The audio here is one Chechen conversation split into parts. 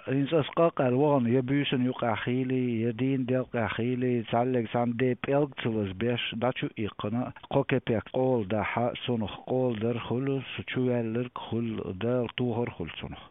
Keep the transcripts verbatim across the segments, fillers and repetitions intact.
ХӀинца ас къакъаьл вахана я буьйсанна юкъахь хийлий, я дийнан делкъехь хийлий, цхьаьллиг цхьаьна де пӀелг ца лазбеш, дӀачу а иккхина, кхо кепек къола дахьа, цунах къола дар хуьлу, со чуваьлларг хуьлу, Дала тохар хуьлу цунах.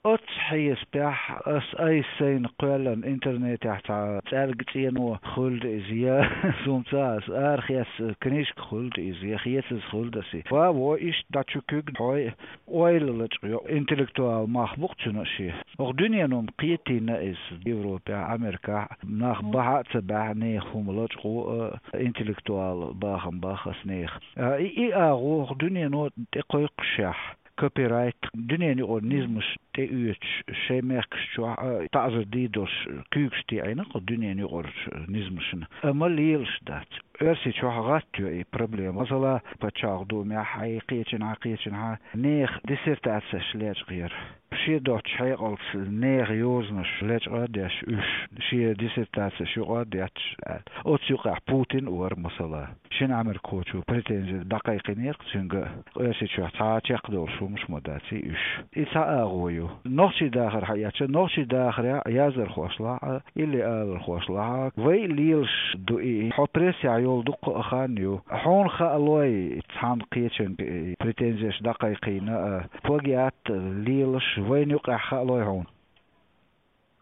Оццу хьесапехь ас айса сайна кхоьллина интернетехь цхьа цӀаьлга цӀено хуьлда иза, я, суна ца хаьа, ас арахецна книжка хуьлда иза, я хецаза хуьлда ас и. Ва, во, иштта дӀачу куьг хьой, ойла лачкъа йо, интеллектуал мах бу-кх цуьнан шен. Оха дуьнено-м кхетийна иза Европехь, Америкахь, нах бахьа а ца баьхьа, нехан хӀума лачкъо а, интеллектуал бахам бах ас нехан. А, и, и агӀо оха дуьнено тӀе кхойкхушехь, копирайт, дуьненан юкъара низамаш тӀеоьцуш, шайн мехкаш чохь а таӀзар дийр долуш куьйгаш теӀийна-кх дуьненан юкъарчу низамашна. Амма лелаш дац. Оьрсийчохь гӀатта йо и проблема. Масала, пачхьалкх думехь а, кхечанхьа, кхечанхьа нехан диссертацеш лечкъаяр. Шен доцчу хьекъалца нехан йозанаш лечкъа а деш уьш, шен диссертацеш юкъа а детташ аьлла. Оцу юкъахь Путин а вара, масала. Шина Ӏамеркахочо претензи дӀакхайкхийнера-кх цуьнга, Оьрсийчохь цхьа а чекхдолуш хӀумаш ма дац и уьш. И цхьа агӀо ю. Нохчийн дахар хьаэцча, нохчийн дахарехь яздархошлахь а, илли алархошлахь а, вай а лелаш ду и, хьо прессехь йолу дуккха а хан ю. Хьуна хаалой цхьана кхечуьнга и претензеш дӀакхайкхийна а, плагиат лелаш вайна юкъахь хаалой хьуна?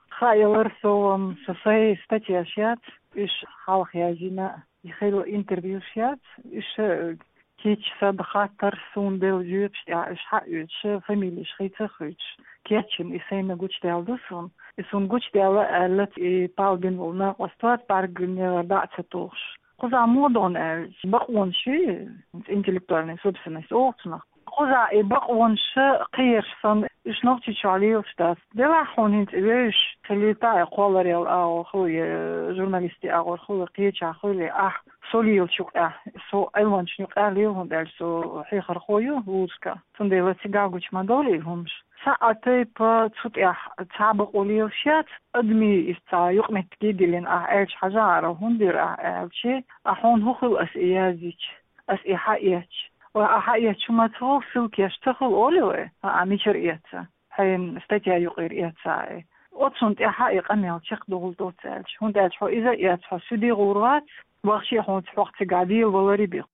Хаалара, со, м, со сайн статьяш яц, уьш хьалха яздина, и хилла интервьюш яц, уьш, э, кийча сан хаттар суна делла жоьпаш тӀехь уьш хьаоьцуш, фамилеш хийца а хуьйцуш, кечйина и сайна гучудаьлла ду суна. И суна гучудаьлла аьлла, и палбина волу накъост вац, бӀаьрганегӀар дӀа а ца тухуш. Кхузахь муха догӀу аьлча, бакъонаш ю, интеллектуальная собственность олу цунах. Кхузахь и бакъонаш кхераш санна, уьш Нохчийчохь лелаш дац. Делахь хьуна хӀинца и вевзаш, хилийта а, кхолларел агӀор хуьлий, журналистийн агӀор хуьлий, кхечахь хуьлий, ахь со лелачу юкъахь, со Ӏилманчашна юкъахь лела, хӀунда аьлча со хьехархо ю вузашкахь. Цундела цигахь гучу ма довлий хӀумаш. Сан а тайпа цу тӀехь цхьа бакъо лелаш яц, адамийн иза цхьа юкъаметтиге диллина ахь аьлча хьажахьара, хӀунда дира ахь аьлча, а хьуна хӀун хуьлу ас и яздича, ас и хьаэцча? Вай, а хьаэцча хӀума ца хуьлу, ссылкеш ца хуьлу олий вай, а, а мичара эца? Хьайн статья юкъера эца и. Оцунна тӀаьхьа и къамел чекхдовла доцу аьлча, хӀунда аьлча хьо иза а эца, хьо суьде гӀур вац, вахча а хьуна хьох цигахь дела валаре бен.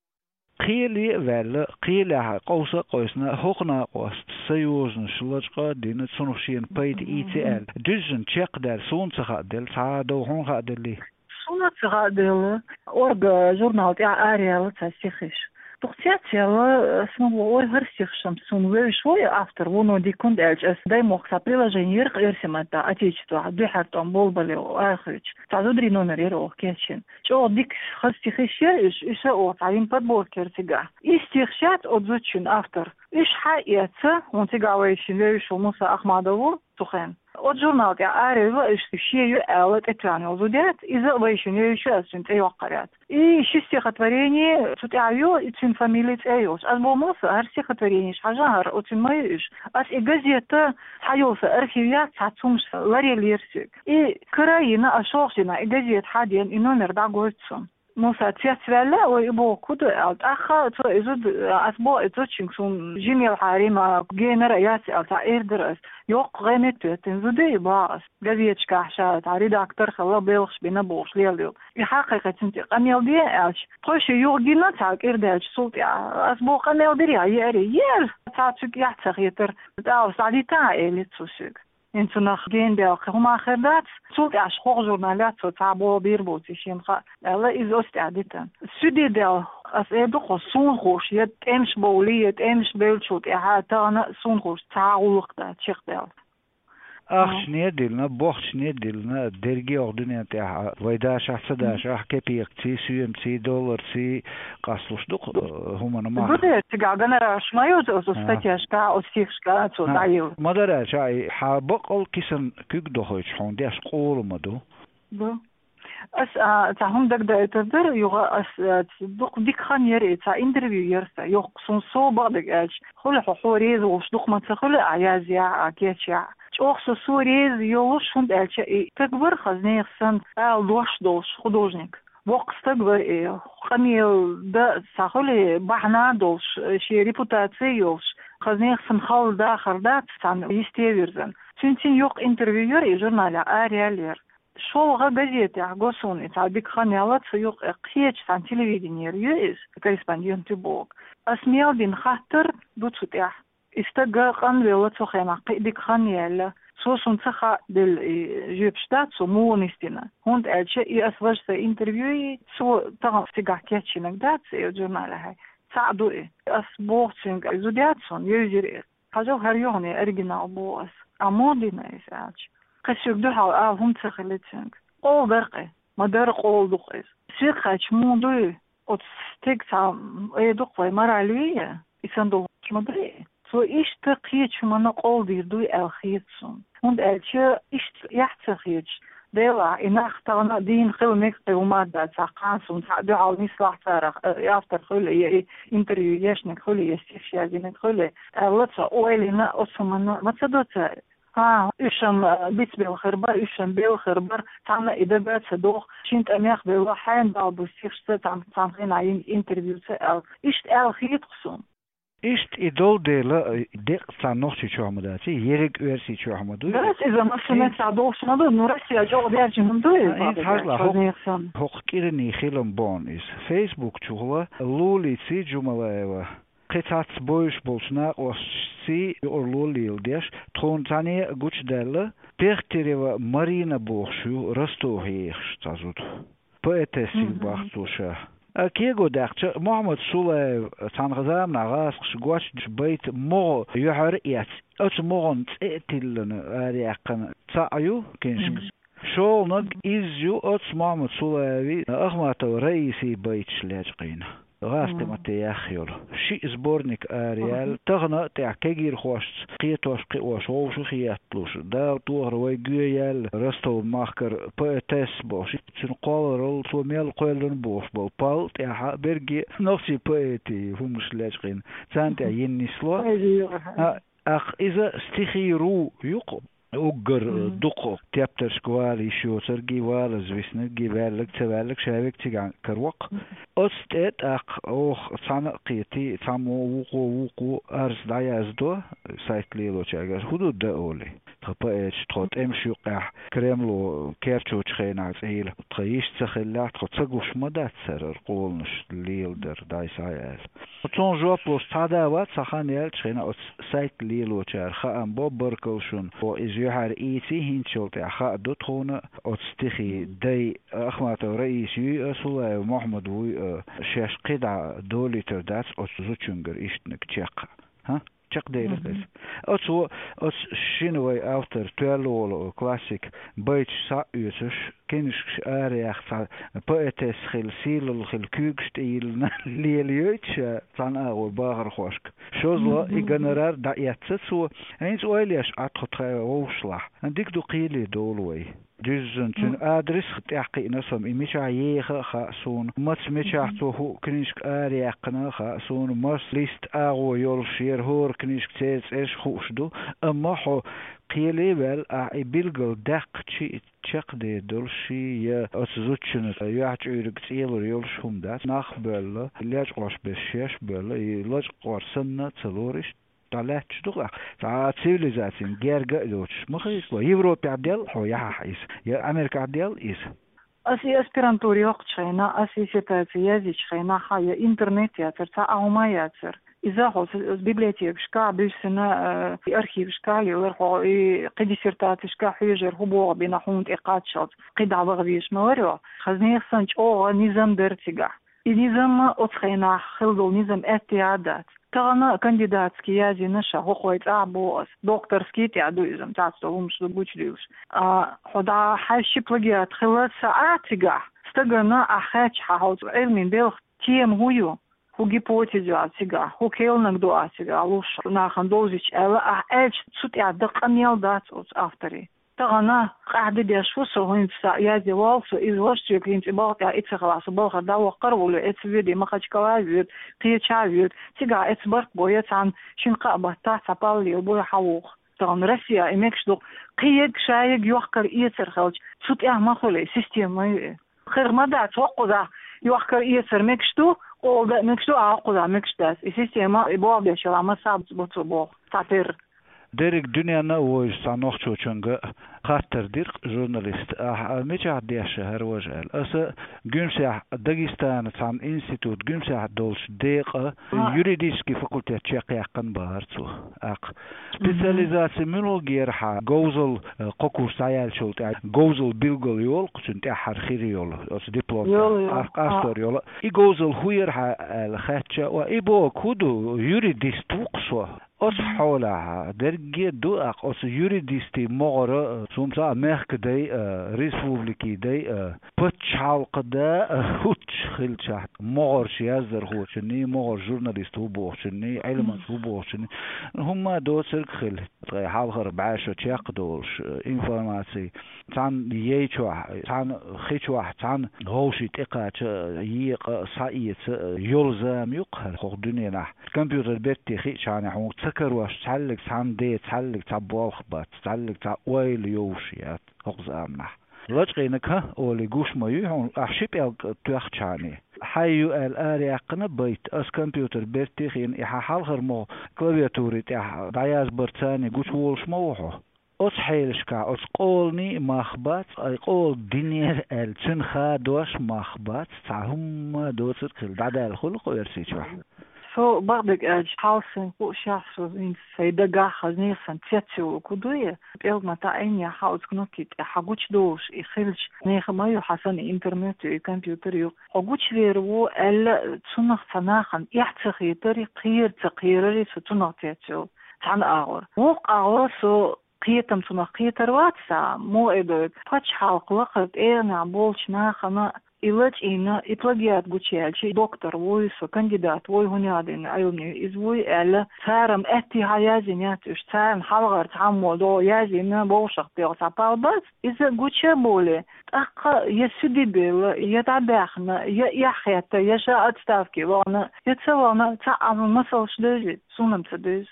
Кхеле а ваьлла, кхелехь къовса а къовсина, хӀокху накъост сан йозанаш лачкъа а дина, цунах шена пайда ийци аьлла, дуьззина чекхдаьлла, суна ца хааделла, цхьа а дов хьуна хааделлий? Суна ца хааделла, Орга журнал тӀехь араяьлла цхьа стихиш. Дукха цецъяьлла, сан боху, ой, хӀара стихаш-м суна вевзаш ву и автор, вуно дика, хӀунда аьлча ас Даймохк цхьа приложение яра-кх оьрсийн маттахь, Отечествохь, дуьххьара тӀом болбале арахуьйтуш. Цхьа зударийн номер яра оха кечйина. ЧӀогӀа дика хаза стихиш яра уьш, уьш а оха цхьа йина подборка яра цигахь. И стихаш яц оцу зудчун автор. Уьш хьаэца, хӀунда цигахь вайшинна вевзаш ву Муса Ахмадов ву цу хенахь. Оцу журнал тӀехь арайилла, уьш шен ю аьлла тӀетоьхна йолу зуда яц, иза а вайшинна вевзаш ю, ас цуьнан цӀе йоккхур яц. И ши стихотворение цу тӀехь ю, и цуьнан фамили, цӀе а йолуш. Ас боху, Муса, хӀара стихотворенеш хьажахьара, оцуьнан ма ю уьш. Ас и газета, цхьа йолу сан архив яц, цхьацца хӀумнаш ларъеллера соьга. И кара а йина, ас шолгӀа дийнахь и газета хьадеана, и номер дӀагойту суна. Муса цецваьлла, ой, и боху, хӀун ду аьлла. ТӀаккха цо и зуда, ас боху и зудчуьнга, суна жимелхьа Рима генара яц аьлла, цхьа эр дара ас. Йоккха гӀайгӀане тоьттина зуда и, боху ас. Газеташкахь ша цхьа редактор хилла, белхаш бина бохуш лелайо. И хьакхайкхи цуьнан тӀе къамел де аьлча, тхойша юха гина цхьа кӀира даьлча цул тӀаьхьа. Ас боху, къамел дирий хьан, еарий? Ера! Цхьа цуьнга эхь ца хетара, тӀаккха схьадита а элира цо соьга. ХӀинца нах гена даьлла кхин хӀума хир дац, цул тӀаьхьа хӀокху журналехь цо цхьа боху бийр боций шена хаьа, аьлла, иза оцу тӀехь дитина. Суьде даьлла, ас эр ду-кх, суна хууш, я тӀемаш бовлий, я тӀемаш бевллачул тӀаьхьа тахана а суна хууш цхьа а гӀуллакх дац чекхдаьлла. Ахчане а диллина, бохчане а диллина, дерриге а оха дуьнен тӀехь, вай дашахь, ца дашахь, кепекций, соьмаций, долларций къасталуш ду-кх, э, хӀуманан мах. Ду дера, цигахь гонорарш ма ю оцу статьяшкахь, оцу стихашкахь цо дӀайилла. Ма-дарра аьлча, хьан баккъал кисана куьг дохуьйтуш хьуна деш къола ма ду. Ду. Ас, а, цхьа хӀума дагадоуьйтур дара, юха ас, а, дукха дика хан яра и, цхьа интервью яра сан, йоккха, суна сов бакъдерг аьлча, хуьлу хьо, хьо реза волуш дукха ма ца хуьлу, а язъяхь, а кечъяхь. ЧӀогӀа со, со реза йолуш, хӀунда аьлча и стаг вара хаза нехан санна, ала дош долуш художник. Воккха стаг вара и, къамел дан цхьа хуьлу бахьана долуш, шен репутаци йолуш, Кхазнех сан хала дахар дац, цхьана йисте вирзан. Цуьнцин юкъ интервью яр и журнале, араяьллера. ШолгӀа газетехь го суна и цхьа дика хан яьлла, цу юкъе кхеча цхьана телевиденера ю иза, корреспондент ю боху. Ас мел дина хаттар ду цу тӀехь. И стаг къанвелла цу хенахь, кхин дика хан яьлла. Цо суна ца хаъделла и жоьпаш дац цо муха нисдина. ХӀунда аьлча и ас важа сайн интервью и цо тахана цигахь кечйинарг дац и журналехь. Цхьаъ ду и. Ас боху цуьнга, и зуда яц хьуна, евзира и. Хьажал, хӀара ю хьуна и оригинал, боху ас. А муха дина иза аьлча? Кхин соьга дуьхьал ала хӀума ца хилла цуьнга. Къола дара кхин. Ма дара, къола ду-кх иза. Соьга хаьттича, муха ду и? Оцу стеган цхьа, э, ду-кх вай, мораль ю и, и санна долуш ма ду и. Цо иштта кхечу хӀуманна къола дийр ду и аьлла хета суна. ХӀунда аьлча иштта яхь ца хеташ, делахь, и нах тахана дийна хила мега кхин хӀума а дац, цхьа кхана суна цхьаъ дуьхьал нислахь царах, э, автор хуьлу, я и интервью ешнарг хуьлу, я стихаш язйинарг хуьлу, аьлла, цо ойла йина, оцу хӀуманна ма ца до цара. ХӀан, уьш-м, а, бицбелла хир бара, уьш-м белла хир бара, цхьанна и дага а ца доху, шина тӀамех белла, хьенан бала бу стихашца цхьана, цхьана хенахь йина интервьюца аьлла. Иштта аьлла хета-кх суна. Иштта и долу дела, а, деккъа цхьана Нохчийчохь ма дац, ерриг Оьрсийчохь ма дуй. Дас иза массанеца цхьа долуш ма ду, ну, Россия чӀогӀа даьржина ма дуй, а, иза хьажал, хӀокху кӀиран хилам боху иза. Фейсбук чухула Лулици Джумалаева. Кхин цхьацца бовзуш болчу накъосташций юкъарло леладеш, тхуна цхьаьна а гучудаьлла, Пехтерева Марина бохуш ю, Ростовхь ехаш цхьа зуда. Поэтесса ю боху цо ша. А кего даьккхича, Мухьаммад Сулаев цхьана заманахь гӀазкхаша гочдеш байта могӀа юьхьар а эцна, оцу могӀан цӀе а тиллина араяьккхина цхьаъ ю книжка. ШолгӀаниг иза ю, оцу Мухьаммад Сулаевий, Ахматова Раисий байташ лечкъийна. ГӀазкхийн матте яьхна йолу. Шиъ сборник араяьлла, тахана а тӀехь кегийрхошца кхетош-кхиош вовшахеталуш, Дала тохара вай гоьяьлла, Ростов-махкара поэтесса бохуш, цуьнан кхолларалла цо мел кхоьллина бохуш болу пал тӀехь а берриге а нохчийн поэтийн хӀуманаш лечкъийна, царна тӀехь йина нисло. А, тӀаккха иза стихи ру ю-кх. Уггар дукха тептаршка вала йиш йоцург и, валаза виснарг и, ваьлларг а, ца ваьлларг а ша верг цигахь караваккха. Оцу тӀе тӀаккха оха цхьаьна а кхетий, цхьаммо вукхо, вукхо арз дӀаяздо сайт лелочаьрга, хӀун ду дан олий? Тхан поэташ тхо тӀемаш юккъехь Кремло керчочу хенахь цӀийла, тхан йиш ца хиллехь, тхо ца гуш ма дац хӀара къоланаш леладар, дӀай схьа а аьлла. Цунна жоп луш цхьа а да вац, цхьа хан яьлча хенахь оцу сайт лелочара хаам бо, баркалла шуна, оха иза юьхьара ийций, хӀинца йолу тӀехь хаа ду тхуна, оцу стихи дай Ахматов Раиса юй а, Сулаев Мухьаммад вуй а, шаьш кхидӀа долуьйтур дац оцу зудчуьнгара иштаниг чекх. ХӀа? Чекхдели хеза. Оцо, оцу шина вай автор, тоьлла волу классик, байташ схьа а оьцуш, книжкаш араяьхна, цхьа поэтесса хила, сийлалла хила, куьйгаш тӀе йиллина лелайойту ша цхьана агӀор бахархошка. ШозлагӀа и гонорар дӀаэцна цо. ХӀинца ойла еш Ӏа тхо тхайн вовшашлахь. Дика ду, кхеле довла вай. Дуьззина цуьнан адрес а тӀехь кхиъна со-м, и мичахь еха а хаьа суна, маца мичахь цо хӀуъа книжка араяьккхина а хаьа суна, маса лист, агӀо йолуш яра хӀора книжка, церан цӀераш а хууш ду, амма хьо кхеле а ваьлла, ахь и билггал даьккхича, чекхдер долуш я оцу зудчунна юьхьа чуьйриг цӀелур йолуш хӀума дац, нах а боьлла, лечкъош берш шаьш а боьлла, и лачкъор санна а ца лору иштта. ДӀалаьтташ ду-кх ахь. Цхьа цивилизацин герга а йоцуш ма хилла. Европехь делла хьо яхьахь иза, я Америкахь делла иза? Ас и аспирантура йоккхучу хенахь, ас диссертаци язйичу хенахь, хьан я интернет яцара, цхьа а хӀума яцара. Иза хьо с-, с-, библиотекашкахь буьссина, э, и архивашкахь лелара хьо, и кхин диссертацешкахь хьоьжура, хӀун боху бина хьуна тӀе кхаччалц, кхидӀа ваха везаш ма вара хьо. Хазнех санна чӀогӀа низам дара цигахь. И низам оцу хенахь хилла долу низам аьттехьа а дац. Тахана кандидатский язйина ша, хӀокху вай цӀахь боху ас, докторский тӀехь ду иза, цхьацца долу хӀумаш ду гучудуьйлуш. А, хьо дӀа хьаьжча плагиат хилла ца Ӏа цигахь, стагана ахь хаьттича хьан хьо Ӏилмин белхан тема хӀун ю? ХӀун гипотеза ю ахь цигахь? ХӀун керланиг ду ахь цигахь луш, нахана довзуьйтуш аьлла, ахь аьлча цу тӀехь дан къамел дац оцу авторийн. Тахана къаьхьа де деш ву со, хӀинца язде воллу со, иза ваша соьга хӀинца и балха тӀехь и ца хилахь, со балхара дӀаваккхар а волу, эцца воьдий, Махачкала а воьду, кхечахьа а воьду, цигахь эцца барт бой, цхьана шина-кхаа баттахь цхьа паллел бой хьан воху. Тахана Россия и мегаш ду, кхин ерг ша ерг йохкар-эцар хилча, цу тӀехь ма хуьлий, система ма ю и. Хир ма дац, хӀокхузахь йохкар-эцар мегаш ду, Къола да мегаш ду, а кхуза мегаш дац. И система, и болх беш йола ма саб бу цу боху, цхьатера. Дерриг дуьненна а вовзаш цхьа нохчочунга хаттар дира-кх журналист: «Ахьа мичахь деш хӀара важа?» аьлла. Аса Гуьмсехь, Дагестана цхьана институт Гуьмсехь долчу декъа юридический факультет чекхъяьккхина бахара цо. ТӀаккха специализация муьлхарг яра хьан говзал, э, кхо курс дӀаяьллачул тӀаьхьа говзал билгал йолу-кх цуьнан тӀаьххьара хир йолу оцу диплом тӀехь, къастор йолу. И говзал хӀун яра хьан аьлла хаьттича, ва и боху, хӀун ду, юридист ву-кх со. Оцу хьолахь дерриге а ду-кх оцу юридистийн могӀара, цу мца а мехкадай, а, республикий дай, а, пачхьалкха да, а, хӀуттуш хилчахь, могӀарш яздархочунний, могӀар журналист ву бохучунний, Ӏилманча ву бохучунний, хӀумма доцург хила. Ткъе хьалхара бӀе шо чекхдолуш, а, информаций. Цхьана яй чохь, цхьана хи чохь, цхьана вовшийн тӀекхача, екъа, схьаэца йолу зама ю-кх хӀара хӀокху дуьненахь. Компьютер бертте хиъчхьана хьуна ца карош цхьаьллиг цхьана де, цхьаьллиг цхьа болх бац, цхьаьллиг цхьа ойла йовш яц хӀокху заманахь. Лачкъийнарг хӀан олий гуш ма юй хьуна, ахь ши пӀелг тоьхчхьана. Хьайн ю аьлла араяьккхина байт, ас компьютер бертте хиъна, и хьан хьалхара могӀа клавиатури тӀехь дӀаязбарца гучуволуш ма ву хьо. Оцу хьелашкахь оцу къоланийн а мах бац, ай къола динера аьлла, цуьнан хадош а мах бац, цхьа хӀумма доцург хила, дӀадаьлла хуьлу-кх оьрсийн чохь. Со бакъдерг аьлча, хьалсайн хууш яхь со, хӀинца сайн дагахь хаза нехан цецйолу хӀун ду и, пӀелг ма таӀийна яхь оцу кнопки тӀе хьан гучудолуш и хилча, нехан ма ю хьан санна интернет ю, и компьютер ю. Хьо гучувер ву аьлла, цунах цхьа нахана эхь ца хетари, кхера ца кхерари со цунах цецйолу. Цхьана агӀор. Вукху агӀор со кхетам цунах кхетар вац цхьа, муха эр ду, пачхьалкхан лакхара тӀегӀанехь болчу нахана и лачкъийна, и плагиат гучуяьлча, доктор вуй со, кандидат вуй, хӀунда аьлла Ӏилманча иза вуй аьлла, цара-м аьттехьа яздина яц уьш, царна хьалхара цхьаммо догӀу яздина, вовшах тӀехь цхьа пал бац, иза гуча а болий, тӀаккха я суьде белла, я дӀабаьхна, я эхь хетта, я ша отставке вахана, я ца вахана, цхьа а масалш девза, суна-м ца девза.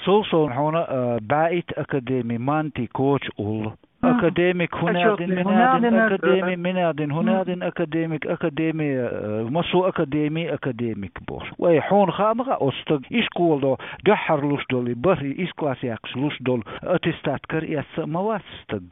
Цул совнаха хьуна, а, бӀе итт академи, Манти, Коча уллу. Академик хӀунда аьлла, мин аьлла, академи, мин аьлла, хӀунда аьлла, академик, академи, а, массо а академи, академик бохуш. Вай, хьуна хаа ма хаьа оцу стаг ишкола доху, дуьххьара луш долу, и бархӀ, и исс класс яьккхича луш долу аттестат караэцна а ма вац стаг.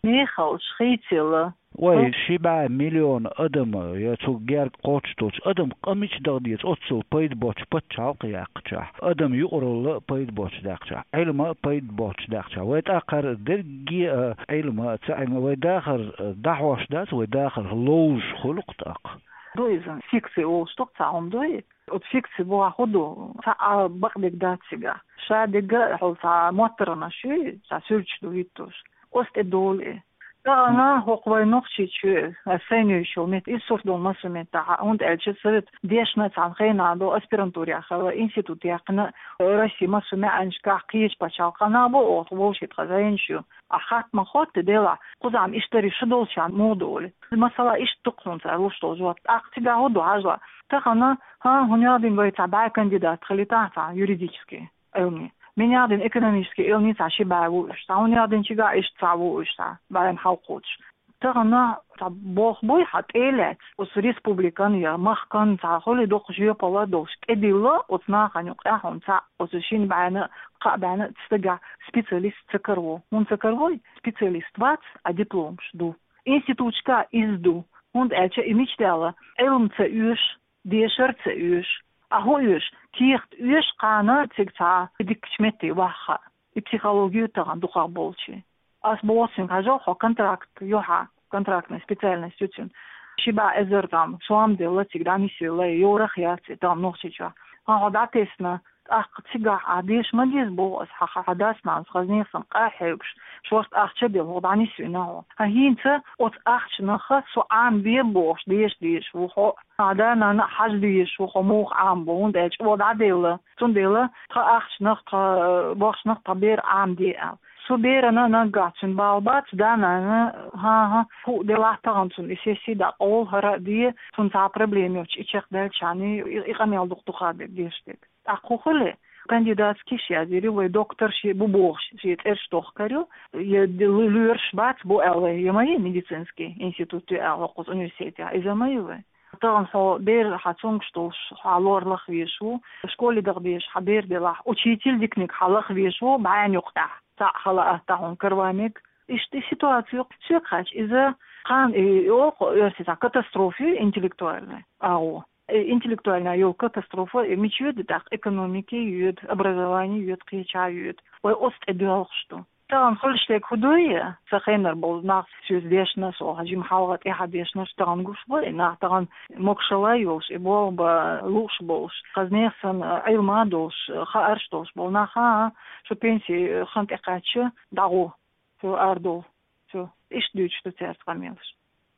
Мехалш хийцаелла. Вай, ши бӀе миллион адам, я цу герга кхочуш долчу адам къа мича даха деза, оццул пайда боцчу пачхьалкх яьккхичахь, адам юкъаралла пайда боцчу даьккхичахь, Ӏилма а пайда боцчу даьккхичахь. Вай тӀаккха дерриге а, Ӏилма а, ца Ӏилма, вай дахар, а, дӀахьош дац, вай дахар ловзуш хуьлу-кх тӀаккха. Ду иза, фикция олуш ду-кх цхьа хӀума, ду и? Оцу фикция боху хӀун ду? Цхьа а бакъдерг дац цигахь. Ша дерг а хьо цхьа моттаргӀанаш ю, цхьа суьрташ ду хӀиттош. Оцу тӀе долу и. Тахана хӀокху вайн Нохчийчоь, аса сайна йолу метта, иза сурт долу массо а меттахь, хӀунда аьлча совет дешна цхьана хенахь долу аспирантура яхара, институт яьккхина, Россия массо а маьӀанашкахь кхечу пачхьалкхана бу оха вовшийн тхан зайнаш ю. Ахь хатта ма хӀотта делахь, кхузахь-м иштта ю шу долчарна муха ду олий. Масала, иштта ду-кх хьуна цара луш долу жоп. ТӀаккха цигахь хӀун ду хьажал? Тахана, хӀан, хӀун яздина вай цхьа бӀе кандидат хилийтахь цхьа юридический Ӏилманийн. Мин яздина экономический Ӏилманийн цхьа ши бӀе ву уьш, цхьа хӀун яздина чигахь иштта цхьа ву уьш, цхьа бӀе хьалкхочуш. Тахана цхьа болх буй хьан тӀе а лаьцна, оцу республикан я махкан цхьа хуьлий доккха жоьпалла а долуш, тӀедилла оцу нахана юкъахь хьуна цхьаъ, оцу шина бӀенна, кхаа бӀенна стагехь специалист ца караво. ХӀунда ца каравой? Специалист вац, а дипломаш ду. Институташкахь иза ду, хӀунда аьлча и мича даьлла, Ӏилма ца оьшу, дешар а ца оьшу. А хӀун оьшу? Кехат оьшу кхана цига цхьа дикачу метте ваха. И психологи ю тахана дукхах болчийн. Ас боху цуьнга, хьажал, хьо контракт ю хьан, контрактная специальность ю цуьнан. Ши бӀе эзар там сом делла цига дӀанисвелла, йорах яц и там Нохчийчохь. Хьан хьо дӀатесна, тӀаккха цигахь ахь деша ма деза боху ас, хьан, хьан дас-нанас хаза нехан къахьоьгуш, шорта ахча а делла, хьо дӀанисвина хьо. Хьан хӀинца оцу ахчанах со Ӏамабе бохуш, деша дезаш ву хьо. Хьан да-нана а хьажа дезаш ву хьо муха Ӏамабо, хӀунда аьлча чӀогӀа дӀаделла. Цундела тхан ахчанах, тхан, э, бохчанах тхан бер Ӏамаде аьлла. Цу берана наггахь цуьнан бала бац, да-нана, хӀан-хӀа, хӀуъа делахь тахана цунна и сесси дӀакъовла, хӀара а де, цунна цхьа проблема йоцуш и чекхдаьлчхьана, и, и къамел дукха-дукха дерг, деша дерг. ТӀаккха хӀун хили? Кандидатский язйира вай, доктор шен бу бохуш, шен цӀераш дохкар ю, я д-, лу-, лоьраш бац бу аьлла, я ма ю медицинский институт ю аьлла хӀокхуза университетехь, иза ма ю вай. Тахана хьо бер хьа цунгаш долуш хьа лор лаха везаш ву, школе даха безаш хьа бер делахь, учитель диканиг хьа лаха везаш ву, бӀаьнна юкъахь, цхьаъ хала атта хьуна караваниг. Иштта и ситуаци ю, соьга хаьттича, иза кхана и оха оьрсийн цхьа катастрофа ю интеллектуальная, агӀо. И интеллектуальная йолу катастрофа, и мича йоьду тӀаккха? Экономике йоьду, образование йоьду, кхечахьа йоьду. Вай оцу тӀе доьлхуш ду. Тахана хуьлуш дерг хӀун ду, я, сан хенара болу нах соьца дешна, со хьан жима хьалха тӀаьхьа дешнаш тахана гуш бу, и нах тахана могушалла йолуш, и болх бан лууш болуш, хазанех санна, Ӏилма долуш, хаарш долуш болу нах, а, шу пенси хан тӀекхаьчча, дӀагӀо, цо арадовла, цо. Иштта дуьйцуш ду цаьрца къамелаш.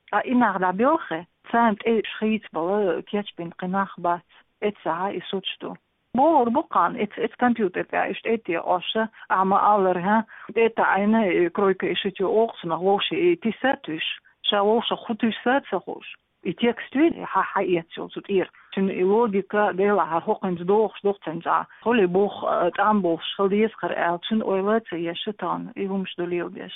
Ткъа и нах дӀабелххе, царна тӀе уьш хийцабала кечбина кхин нах бац. Эццахьа и суц ду. Бохур бу кхана, эц, эц компьютер тӀехь иштта тӀе Ӏоша, ахьа ма-аллара, хӀа, тӀе таӀийна, э, кройка и шитю оха цунах вовшийн и тиса туьйсу, ша вовшах хӀун туьйсу а ца хууш. И текст ву, хьан хьаэца йолу цу тӀера. Цуьнан и логика, делахь, хӀара хӀокхуьнца догӀуш ду-кх цуьнца, хьули бух, э, тӀам болуш хила деза хӀара аьлла, цуьнан ойла а ца еш, тахана и хӀумаш ду леладеш.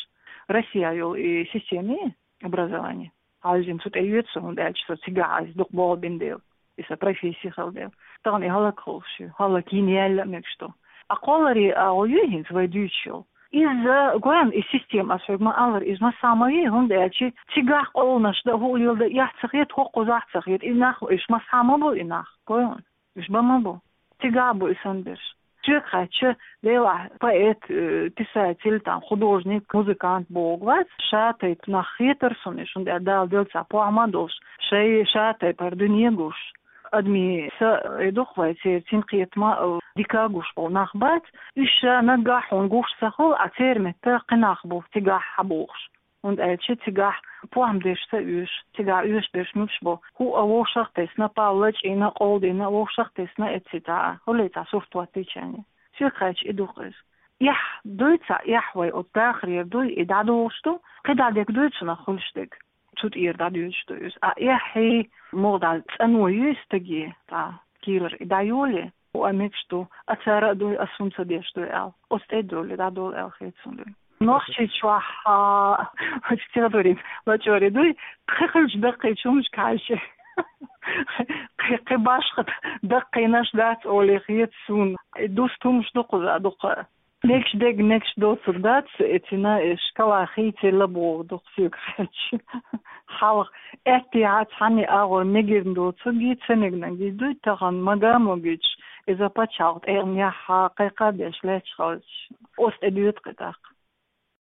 Россия йолу и система, образование. Хьаьжжина цу тӀе йоьду со, хӀунда аьлча со цигахь иза дукха болх бина дела, и сан профессия хила дела. Тахана и хӀаллакьхуьлуш ю, хӀаллакйина яьлла а мегаш ду. Ткъа кхолларий агӀо ю хӀинца вай дуьйцуш йолу. Иза, гой хьуна, и система, ас хьоьга ма-аллара, иза массахь ма вий, хӀунда аьлча цигахь къовланаш дан, хӀуъа леладан эхь ца хета, хӀокхузахь а ца хета. И нах, уьш массахь ма бу и нах, гой хьуна. Уьш бан ма бу. Цигахь бу и санна берш. Соьга хаьттича, делахь, поэт, э, писатель, там, художник, музыкант бохург вац, ша тайпа нах хетара суна уьш, хӀунда аьлча Дала делла цхьа похӀма а долуш, шайн ша тайпара дуьне а гуш. Адамийн са, э, ду-кх вай церан цӀинкхетам а, э, дика а гуш болу нах бац, уьш ша наггахь хьуна гуш ца хуьлу, а церан метта кхин нах бу цигахь хьан бохуш. ХӀунда аьлча цигахь похӀма дерш ца оьшу, цигахь оьшуш берш муьлш бу, хӀуъа вовшах а тесна, пал лачкъийна, къовладина, вовшах а тесна, эцци цхьа, хӀулле цхьа сурт хӀоттийчарна. Соьга хаьттича, и ду-кх иза. Эхь дуй цхьа, эхь вай оцу дахарера дуй, и дӀадохуш ду, кхидӀа дерг дуй цунах хуьлуш дерг. Цу тӀера дӀадоьдуш ду иза. А эхь, муха дӀа цӀано юй стаге, цхьа кийрара и дӀайоле, хӀуъа мегаш ду, а цара а дуй, ас хӀунда ца деш дуй аьлла. Оцу тӀе а долий, дӀадолу аьлла хета суна дуй. Нохчийчохь, а, оцу территорин лачкъоре дуй, кхин хилча даккхийчу хӀуманашка хьаьжча. Кхин, кхин башха даккхийнаш дац олий хета суна. И дуста хӀуманаш ду кхуза дукха. Мегаш дерг мегаш доцург дац, эцина, э, шкала хийцаелла бохург ду-кх соьга хаьттича. Хьалха аьттехьа цхьанне агӀор мегирна доцургий, ца мегнаргий дуй, тахана мага а могуьйтуш, иза пачхьалкх тӀегӀанехьа кхайкха а беш лаьтташ хилча, оцу тӀе доьду-кх и тӀаккха.